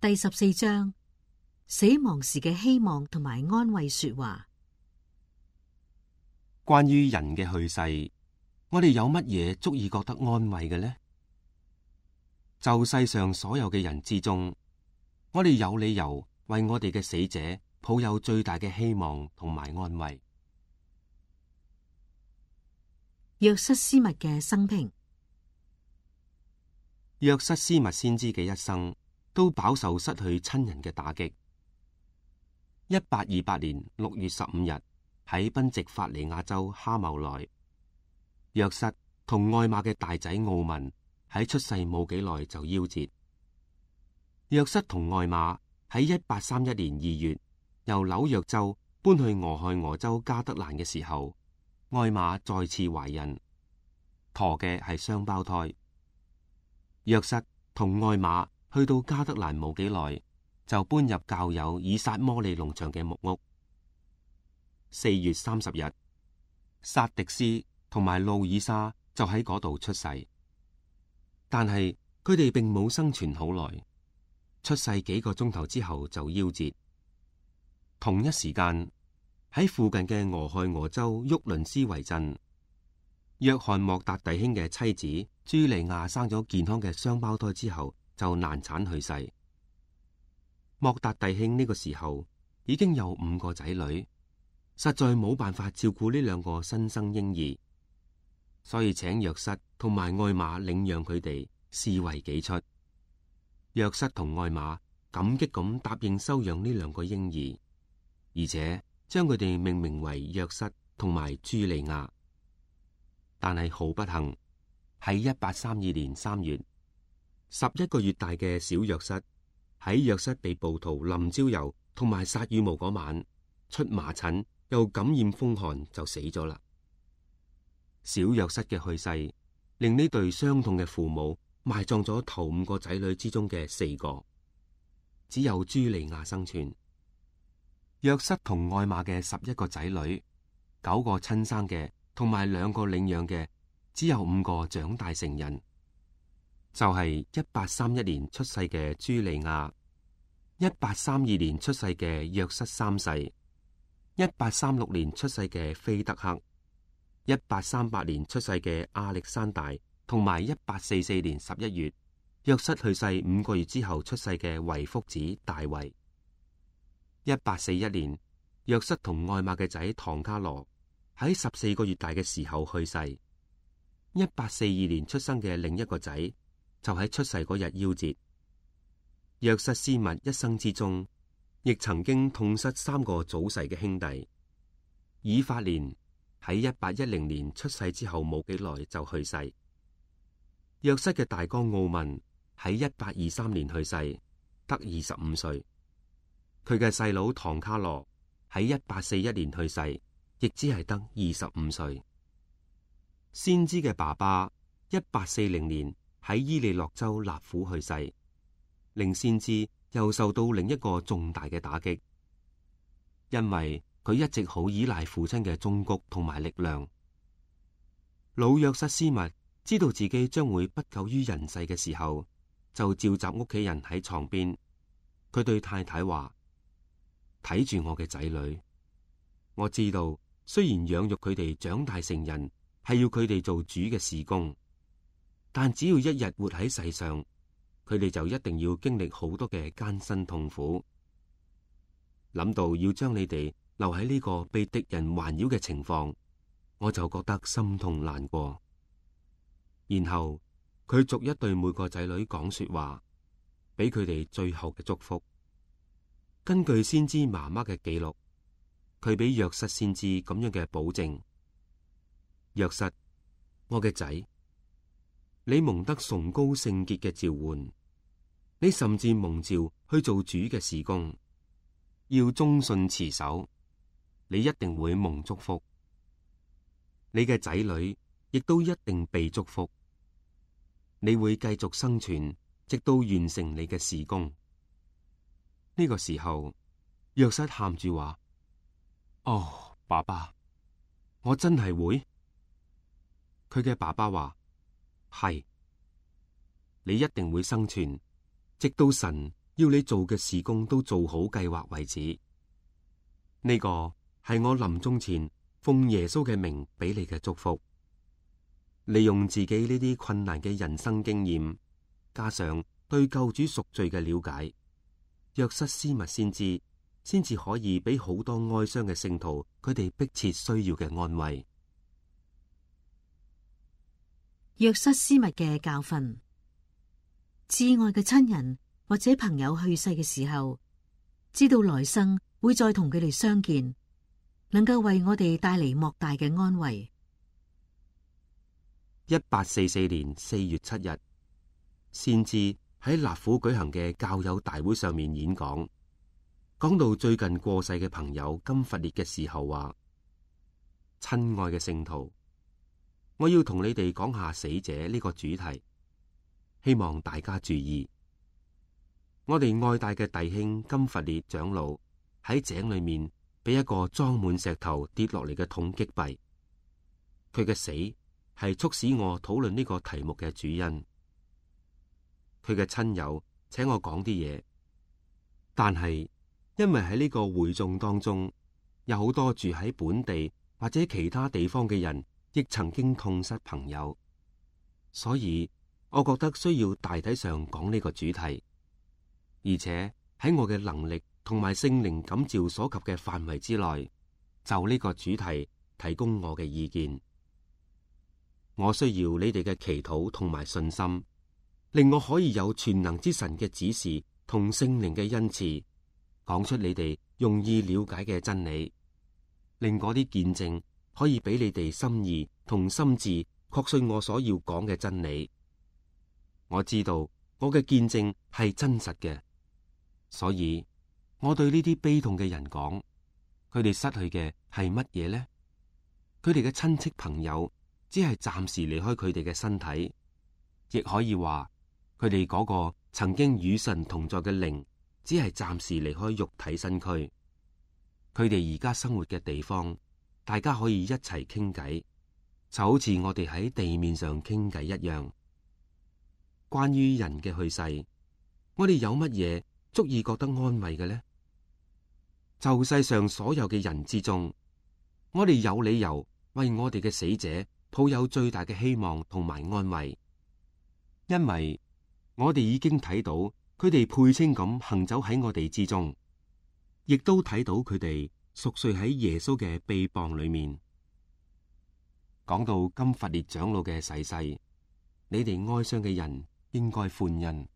第14章，死亡時嘅希望同埋安慰說話。關於人嘅去世，我哋有乜嘢足以覺得安慰嘅呢？就世上所有嘅人之中，我哋有理由為我哋嘅死者抱有最大嘅希望同埋安慰。約瑟斯密嘅生平。約瑟斯密先知嘅一生都飽受失去親人嘅打擊。1828年6月15日喺賓夕法尼亞州哈茂萊，約瑟同愛瑪嘅大仔奧文喺出世冇幾耐就夭折。約瑟同愛瑪喺1831年2月由紐約州搬去俄亥俄州加德蘭嘅時候，愛瑪再次懷孕，陀嘅係雙胞胎。約瑟同愛瑪去到加德蘭冇幾耐，就搬入教友以撒摩利農場嘅木屋。4月30日，薩迪斯同埋路爾莎就喺嗰度出世，但係佢哋並冇生存好耐，出世幾個鐘頭之後就夭折。同一時間喺附近嘅俄亥俄州沃倫斯維鎮，約翰莫達弟兄嘅妻子朱莉亞生咗健康嘅雙胞胎之後就難產去世。莫達弟兄呢個時候已經有5個仔女，實在冇辦法照顧呢2個新生嬰兒，所以請約瑟同埋愛瑪領養佢哋，視為己出。約瑟同愛瑪感激咁答應收養呢2個嬰兒，而且將佢哋命名為約瑟同埋朱莉亞。但係好不幸，喺1832年3月，11個月大嘅小約瑟喺約瑟被暴徒淋焦油同埋撒羽毛嗰晚出麻疹，又感染風寒就死咗啦。小約瑟嘅去世令呢對傷痛嘅父母埋葬咗頭5個仔女之中嘅4個，只有朱莉亞生存。約瑟同愛瑪嘅11個仔女，9個親生嘅同埋2個領養嘅，只有5個長大成人，就係1831年出世嘅朱莉亞，1832年出世嘅約瑟3世，1836年出世嘅菲德克，1838年出世嘅亞歷山大，同埋1844年11月約瑟去世5個月之後出世嘅維福子大衛。1841年約瑟同愛瑪嘅仔唐卡羅喺14個月大嘅時候去世。1842年出生嘅另一個仔就喺出世嗰日夭折。約瑟斯密一生之中，亦曾經痛失3個早逝嘅兄弟。以法蓮喺1810年出世之後冇幾耐就去世。約瑟嘅大哥奧文喺1823年去世，得25歲。佢嘅細佬唐卡羅喺1841年去世，亦只係得25歲。先知嘅爸爸1840年喺伊利諾州納府去世，令先知又受到另一個重大嘅打擊，因為佢一直好依賴父親嘅忠告同埋力量。老約瑟斯密知道自己將會不久於人世嘅時候，就召集屋企人喺床邊，佢對太太話：睇住我嘅仔女，我知道雖然養育佢哋長大成人係要佢哋做主嘅事工，但只要一日活喺世上，佢哋就一定要經歷好多嘅艱辛痛苦。諗到要將你哋留喺呢個被敵人環繞嘅情況，我就覺得心痛難過。然後佢逐一對每個仔女講說話，俾佢哋最後嘅祝福。根據先知媽媽嘅記錄，佢俾約瑟先知咁樣嘅保證：約瑟，我嘅仔，你蒙得崇高聖潔嘅召喚，你甚至蒙召去做主嘅事工，要忠信持守，你一定會蒙祝福。你嘅仔女亦都一定被祝福，你會繼續生存，直到完成你嘅事工。呢個時候，約瑟喊住話：哦，爸爸，我真係會。佢嘅爸爸話：係，你一定會生存，直到神要你做嘅事工都做好計劃為止。呢個係我臨終前奉耶穌嘅名俾你嘅祝福。利用自己呢啲困難嘅人生經驗，加上對救主贖罪嘅了解，約瑟斯密先至可以俾好多哀傷嘅聖徒佢哋迫切需要嘅安慰。約瑟斯密嘅教訓：至愛嘅親人或者朋友去世嘅時候，知道來生會再同佢哋相見，能夠為我哋帶嚟莫大嘅安慰。1844年4月7日，先知喺納府舉行嘅教友大會上面演講，講到最近過世嘅朋友金弗列嘅時候話：親愛嘅聖徒，我要同你哋講下死者呢個主題，希望大家注意。我哋愛戴嘅弟兄金弗列長老喺井裏面俾一個裝滿石頭跌落嚟嘅桶擊斃，佢嘅死係促使我討論呢個題目嘅主因。佢嘅親友請我講啲嘢，但係因為喺呢個會眾當中有好多住喺本地或者其他地方嘅人，亦曾經痛失朋友，所以我覺得需要大體上講呢個主題，而且喺我嘅能力同埋聖靈感召所及嘅範圍之內，就呢個主題提供我嘅意見。我需要你哋嘅祈禱同埋信心，令我可以有全能之神嘅指示同聖靈嘅恩賜，講出你哋容易了解嘅真理，令嗰啲見證可以俾你哋心意同心智確信我所要講嘅真理。我知道我嘅見證係真實嘅，所以我對呢啲悲痛嘅人講，佢哋失去嘅係乜嘢呢？佢哋嘅親戚朋友只係暫時離開佢哋嘅身體，亦可以話佢哋嗰個曾經與神同在嘅靈，只係暫時離開肉體身軀。佢哋而家生活嘅地方，大家可以一齊傾偈，就好似我哋喺地面上傾偈一樣。關於人嘅去世，我哋有乜嘢足以覺得安慰嘅呢？就世上所有嘅人之中，我哋有理由為我哋嘅死者抱有最大嘅希望同埋安慰，因為我哋已經睇到佢哋配稱咁行走喺我哋之中，亦都睇到佢哋熟睡喺耶穌嘅臂膀裏面。講到金弗列長老嘅逝世，你哋哀傷嘅人應該歡欣，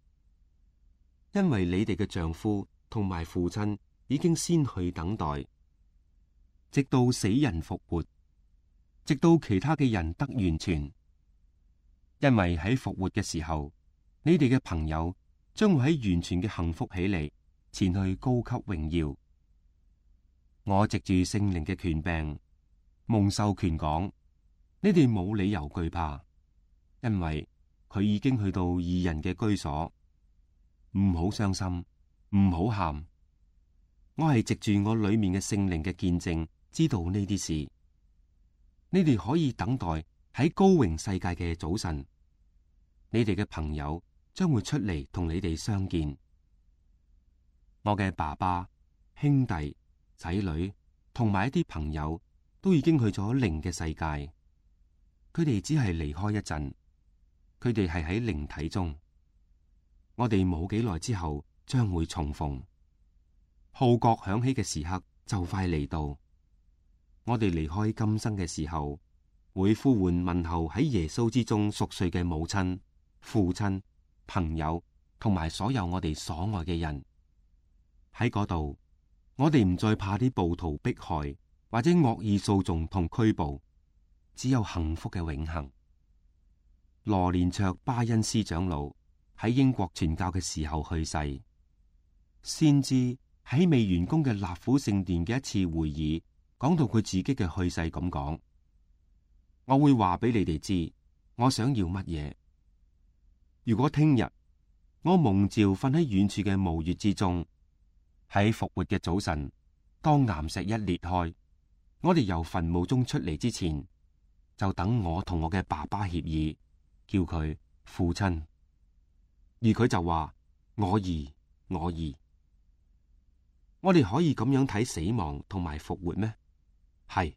因為你哋嘅丈夫同埋父親已經先去等待，直到死人復活，直到其他嘅人得完全。因為喺復活嘅時候，你哋嘅朋友將會喺完全嘅幸福起嚟，前去高級榮耀。我藉住聖靈嘅權柄，蒙授權講，你哋冇理由懼怕，因為佢已經去到義人嘅居所。唔好傷心，唔好喊。我係藉住我裏面嘅聖靈嘅見證，知道呢啲事。你哋可以等待喺高榮世界嘅早晨，你哋嘅朋友將會出嚟同你哋相見。我嘅爸爸、兄弟、仔女同埋一啲朋友都已經去咗靈嘅世界，佢哋只係離開一陣，佢哋係喺靈體中。我哋冇幾耐之後將會重逢，號角響起嘅時刻就快嚟到。我哋離開今生嘅時候，會呼喚問候喺耶穌之中熟睡嘅母親、父親、朋友同埋所有我哋所愛嘅人。喺嗰度，我哋唔再怕啲暴徒迫害或者惡意訴訟同拘捕，只有幸福嘅永恆。羅連卓巴恩斯長老喺英國傳教嘅時候去世，先知喺未完工嘅納府聖殿嘅一次會議，講到佢自己嘅去世咁講：我會話俾你哋知，我想要乜嘢。如果聽日我蒙召瞓喺遠處嘅墓穴之中，喺復活嘅早晨，當岩石一裂開，我哋由墳墓中出嚟之前，就等我同我嘅爸爸協議，叫佢父親。而佢就話：我兒，我義。我哋可以咁樣睇死亡同埋復活咩？係。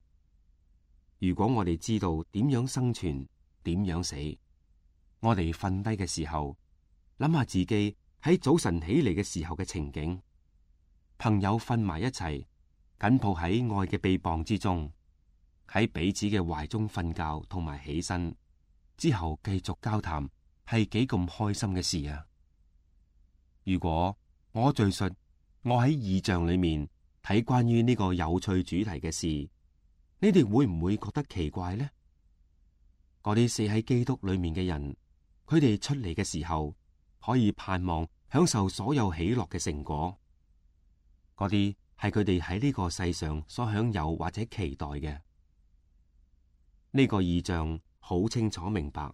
如果我哋知道點樣生存，點樣死，我哋瞓低嘅時候，諗下自己喺早晨起嚟嘅時候嘅情景，朋友瞓埋一齊，緊抱喺愛嘅臂膀之中，喺彼此嘅懷中瞓覺同埋起身之後繼續交談，係幾咁開心嘅事啊！如果我敘述我喺異象裏面睇關於呢個有趣主題嘅事，你哋會唔會覺得奇怪呢？嗰啲死喺基督裏面嘅人，佢哋出嚟嘅時候可以盼望享受所有喜樂嘅成果，嗰啲係佢哋喺呢個世上所享有或者期待嘅。呢個異象好清楚明白，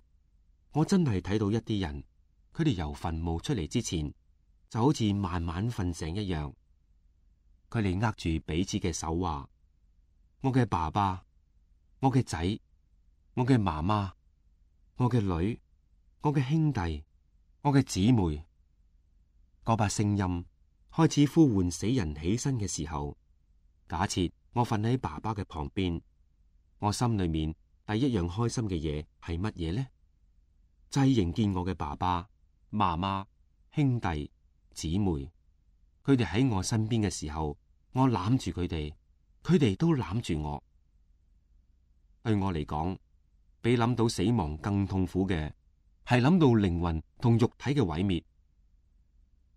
我真係睇到一啲人，佢哋由墳墓出嚟之前，就好似慢慢瞓醒一樣。佢哋握住彼此嘅手話：我嘅爸爸，我嘅仔，我嘅媽媽，我嘅女，我嘅兄弟，我嘅姊妹。嗰把聲音開始呼喚死人起身嘅時候，假設我瞓喺爸爸嘅旁邊，我心裏面第一樣開心嘅嘢係乜嘢呢？就係迎見我嘅爸爸媽媽、兄弟姊妹，佢哋喺我身邊嘅時候，我攬住佢哋，佢哋都攬住我。對我嚟講，比諗到死亡更痛苦嘅係諗到靈魂同肉體嘅毀滅。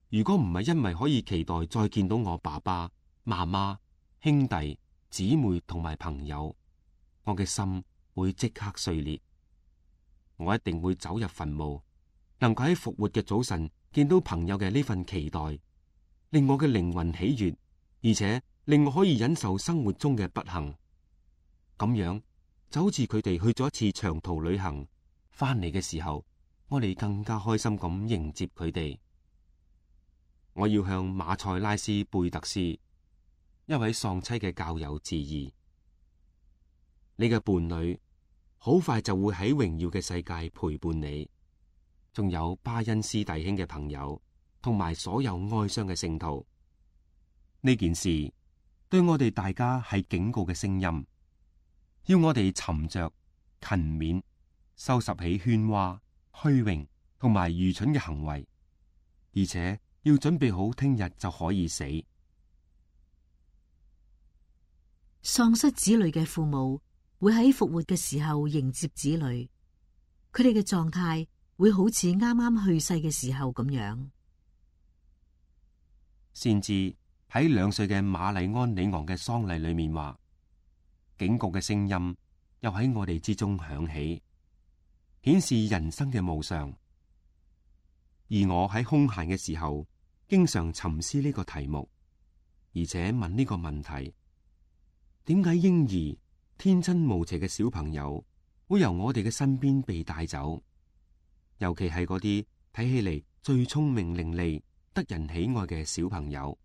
如果唔係因為可以期待再見到我爸爸媽媽、兄弟姊妹同埋朋友，我嘅心會即刻碎裂。我一定會走入墳墓，能夠喺復活嘅早晨見到朋友嘅呢份期待，令我嘅靈魂喜悅，而且令我可以忍受生活中嘅不幸。咁樣就好似佢哋去咗一次長途旅行，翻嚟嘅時候，我哋更加開心咁迎接佢哋。我要向馬塞拉斯貝特斯，一位喪妻嘅教友致意。你嘅伴侶好快就會喺榮耀嘅世界陪伴你，仲有巴恩斯弟兄嘅朋友，同埋所有哀傷嘅聖徒。呢件事對我哋大家係警告嘅聲音，要我哋沉着、勤勉，收拾起喧嘩、虛榮同埋愚蠢嘅行為，而且要準備好聽日就可以死。喪失子女嘅父母會喺復活嘅時候迎接子女，佢哋嘅狀態會好似啱啱去世嘅時候咁樣。先至喺2歲嘅瑪麗安里昂嘅喪禮裏面話，警告嘅聲音又喺我哋之中響起，顯示人生嘅無常。而我喺空閒嘅時候，經常沉思呢個題目，而且問呢個問題：點解嬰兒天真無邪嘅小朋友會由我哋嘅身邊被帶走？尤其係嗰啲睇起嚟最聰明伶俐、得人喜愛嘅小朋友。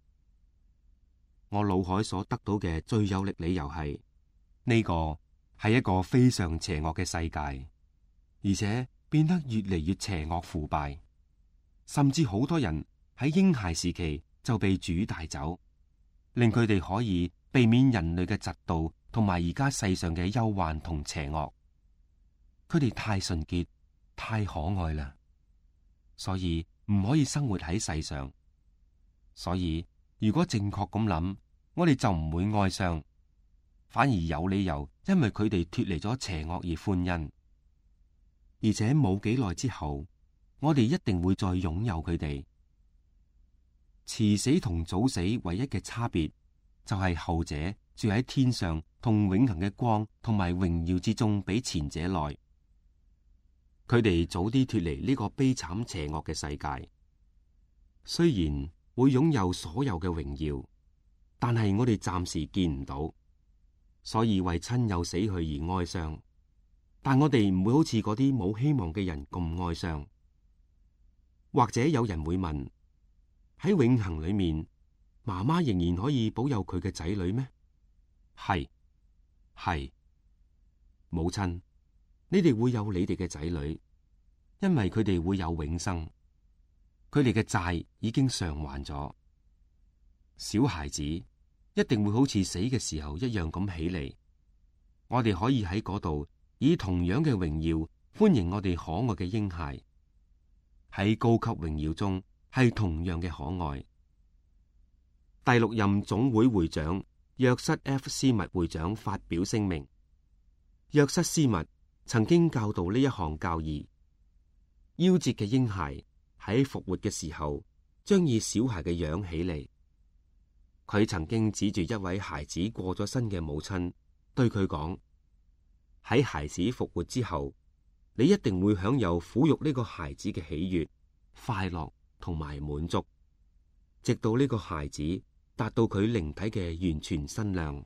我腦海所得到嘅最有力理由係呢個係一個非常邪惡嘅世界，而且變得越嚟越邪惡腐敗，甚至好多人喺嬰孩時期就被主帶走，令佢哋可以避免人類嘅嫉妒同埋而家世上嘅憂患同邪惡。佢哋太純潔、太可愛啦，所以唔可以生活喺世上。所以如果正確咁諗，我哋就唔會哀傷，反而有理由因為佢哋脫離咗邪惡而歡欣。而且冇幾耐之後，我哋一定會再擁有佢哋。遲死同早死唯一嘅差別就係後者住喺天上同永恆嘅光同埋榮耀之中，比前者耐。佢哋早啲脫離呢個悲慘邪惡嘅世界，雖然會擁有所有嘅榮耀，但係我哋暫時見唔到，所以為親友死去而哀傷。但我哋唔會好似嗰啲冇希望嘅人咁哀傷。或者有人會問：喺永恆裏面，媽媽仍然可以保佑佢嘅仔女咩？係，母親，你哋會有你哋嘅仔女，因為佢哋會有永生。佢哋嘅債已經償還咗。小孩子一定會好似死嘅時候一樣咁起嚟，我哋可以喺嗰度以同樣嘅榮耀歡迎我哋可愛嘅嬰孩，喺高級榮耀中係同樣嘅可愛。第六任總會會長約瑟 F. 斯密會長發表聲明，約瑟斯密曾經教導呢一項教義：夭折嘅嬰孩喺復活嘅時候將以小孩嘅樣起嚟。佢曾經指住一位孩子過咗身嘅母親，對佢講：喺孩子復活之後，你一定會享有撫育呢個孩子嘅喜悅、快樂同埋滿足，直到呢個孩子達到佢靈體嘅完全身量。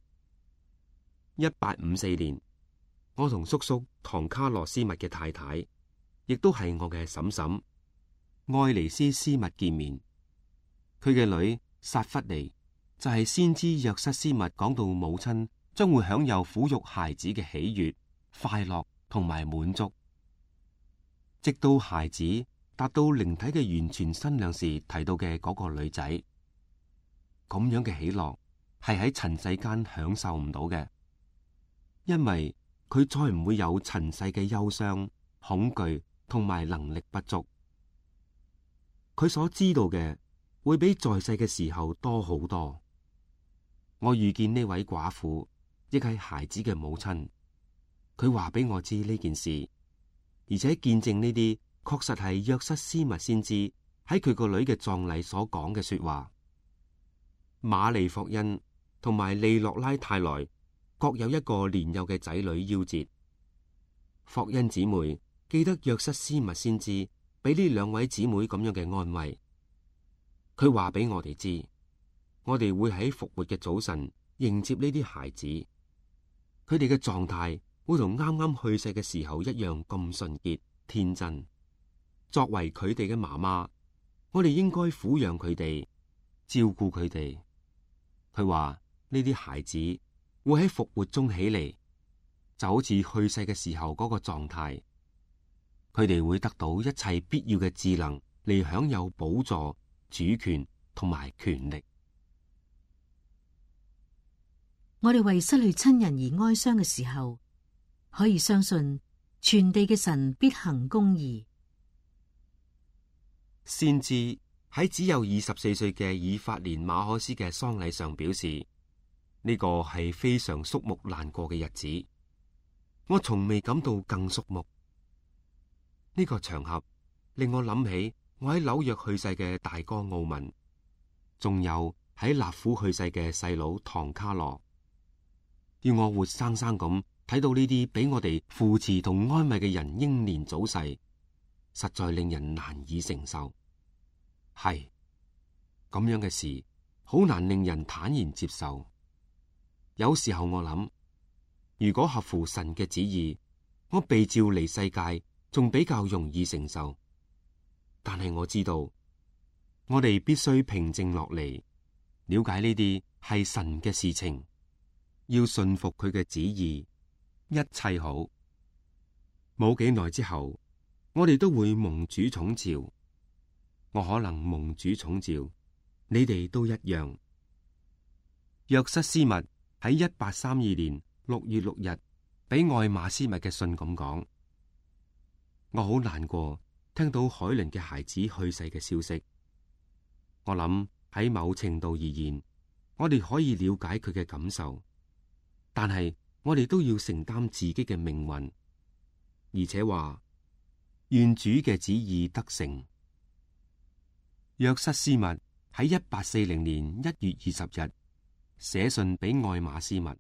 1854年，我同叔叔唐卡洛斯密嘅太太，亦都係我嘅嬸嬸愛尼斯斯密見面。佢嘅女薩弗尼就係先知約瑟斯密講到母親將會享有撫育孩子嘅喜悅、快樂同埋滿足，直到孩子達到靈體嘅完全身量時提到嘅嗰個女仔。咁樣嘅喜樂係喺塵世間享受唔到嘅，因為佢再唔會有塵世嘅憂傷、恐懼同埋能力不足。佢所知道嘅會比在世嘅時候多好多。我遇見呢位寡婦，亦係孩子嘅母親。佢話俾我知呢件事，而且見證呢啲確實係約瑟斯密先知喺佢個女嘅葬禮所講嘅說話。瑪麗霍恩同埋利洛拉泰萊各有一個年幼嘅仔女夭折。霍恩姊妹記得約瑟斯密先知俾呢兩位姊妹咁樣嘅安慰。佢話俾我哋知，我哋會喺復活嘅早晨迎接呢啲孩子，佢哋嘅狀態會同啱啱去世嘅時候一樣咁純潔天真。作為佢哋嘅媽媽，我哋應該撫養佢哋，照顧佢哋。佢話呢啲孩子會喺復活中起嚟，就好似去世嘅時候嗰個狀態。佢哋會得到一切必要嘅智能嚟享有寶座、主權同埋權力。我哋為失去親人而哀傷嘅時候，可以相信全地嘅神必行公義。先知喺只有24歲嘅以法蓮馬可斯嘅喪禮上表示，呢個係非常肅穆難過嘅日子。我從未感到更肅穆。呢個場合令我諗起我喺紐約去世嘅大哥奧文，仲有喺納府去世嘅細佬唐卡羅。要我活生生咁睇到呢啲俾我哋扶持同安慰嘅人英年早逝，實在令人難以承受。係咁樣嘅事，好難令人坦然接受。有時候我諗，如果合乎神嘅旨意，我被召離世界仲比較容易承受。但係我知道，我哋必須平靜落嚟，了解呢啲係神嘅事情，要順服佢嘅旨意，一切好。冇幾耐之後，我哋都會蒙主寵召。我可能蒙主寵召，你哋都一樣。約瑟斯密喺1832年6月6日俾愛馬斯密嘅信咁講：我好難過，聽到海倫嘅孩子去世嘅消息。我諗喺某程度而言，我哋可以了解佢嘅感受，但係我哋都要承擔自己嘅命運，而且話願主嘅旨意得成。約瑟斯密喺1840年1月20日寫信俾愛馬斯密，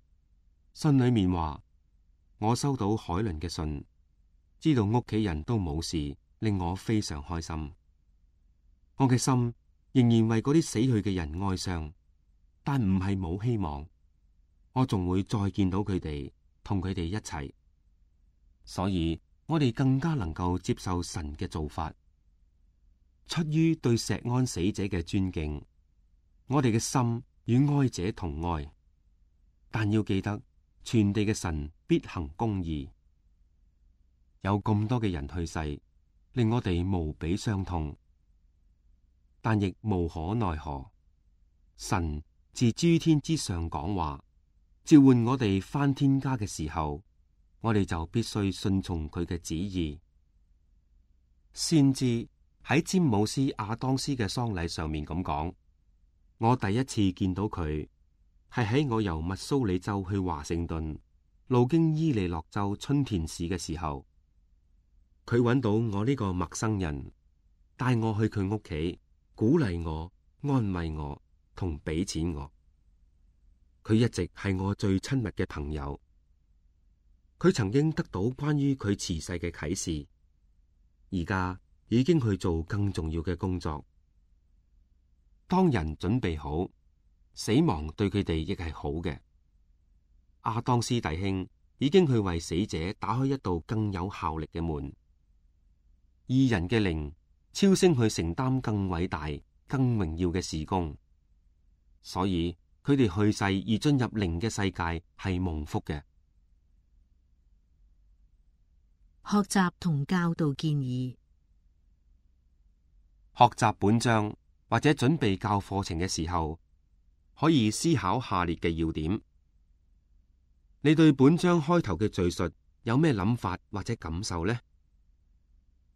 信裏面話：我收到海倫嘅信，知道屋企人都冇事，令我非常開心。我嘅心仍然為嗰啲死去嘅人哀傷，但唔係冇希望，我仲會再見到佢哋，同佢哋一齊。所以我哋更加能夠接受神嘅做法。出於對錫安死者嘅尊敬，我哋嘅心與哀者同哀，但要記得，全地嘅神必行公義。有咁多嘅人去世，令我哋無比傷痛。但亦無可奈何。神自諸天之上講話，召喚我哋返天家嘅時候，我哋就必須順從佢嘅旨意。先知喺詹姆斯亞當斯嘅喪禮上面咁講：我第一次見到佢係喺我由密蘇里州去華盛頓，路經伊利諾州春田市嘅時候，佢揾到我呢個陌生人，帶我去佢屋企，鼓勵我、安慰我同俾錢我。佢一直係我最親密嘅朋友。佢曾經得到關於佢辭世嘅啟示，而家已經去做更重要嘅工作。當人準備好，死亡對佢哋亦係好嘅。亞當斯弟兄已經去為死者打開一道更有效力嘅門。義人嘅靈超升去承擔更偉大、更榮耀嘅事工，所以佢哋去世而進入靈嘅世界係蒙福嘅。學習同教導建議。學習本章或者準備教課程嘅時候，可以思考下列嘅要點。你對本章開頭嘅敘述有咩諗法或者感受呢？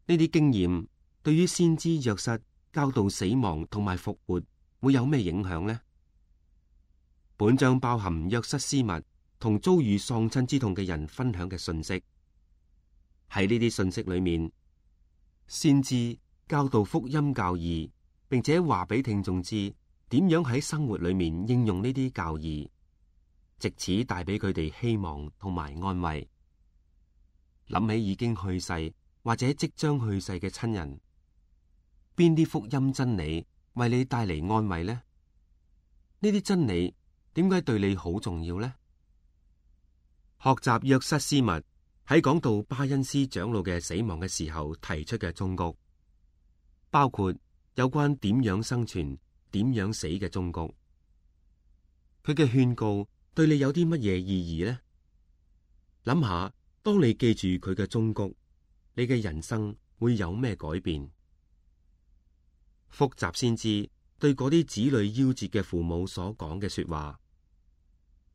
呢啲經驗對於先知約瑟教導死亡同埋復活會有咩影響呢？本章包含約瑟斯密同遭遇喪親之痛嘅人分享嘅信息。喺呢啲信息裏面，先知教導福音教義，並且話俾聽眾知點樣喺生活裏面應用呢啲教義，藉此帶俾佢哋希望同埋安慰。諗起已經去世或者即將去世嘅親人，邊啲福音真理為你帶嚟安慰呢？呢啲真理點解對你好重要呢？學習約瑟斯密喺講到巴恩斯長老嘅死亡嘅時候提出嘅忠告，包括有關點樣生存、點樣死嘅忠告。佢嘅勸告對你有啲乜嘢意義呢？諗下，當你記住佢嘅忠告，你嘅人生會有咩改變？複習先知對嗰啲子女夭折嘅父母所講嘅說話，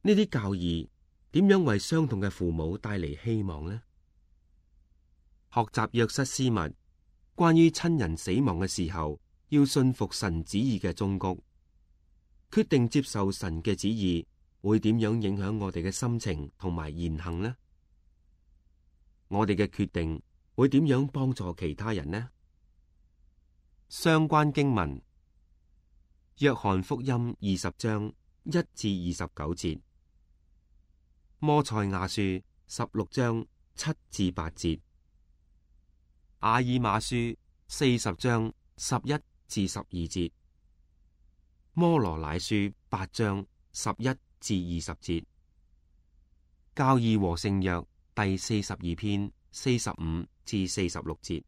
呢啲教義點樣為傷痛嘅父母帶嚟希望呢？學習約瑟斯密關於親人死亡嘅時候要信服神旨意嘅忠告，決定接受神嘅旨意會點樣影響我哋嘅心情同埋言行呢？我哋嘅決定會點樣幫助其他人呢？相關經文：約翰福音20章1至29節，摩賽亞書16章7至8節，阿爾瑪書40章11至12節，摩羅乃書8章11至20節，教義和聖約第42篇45至46節。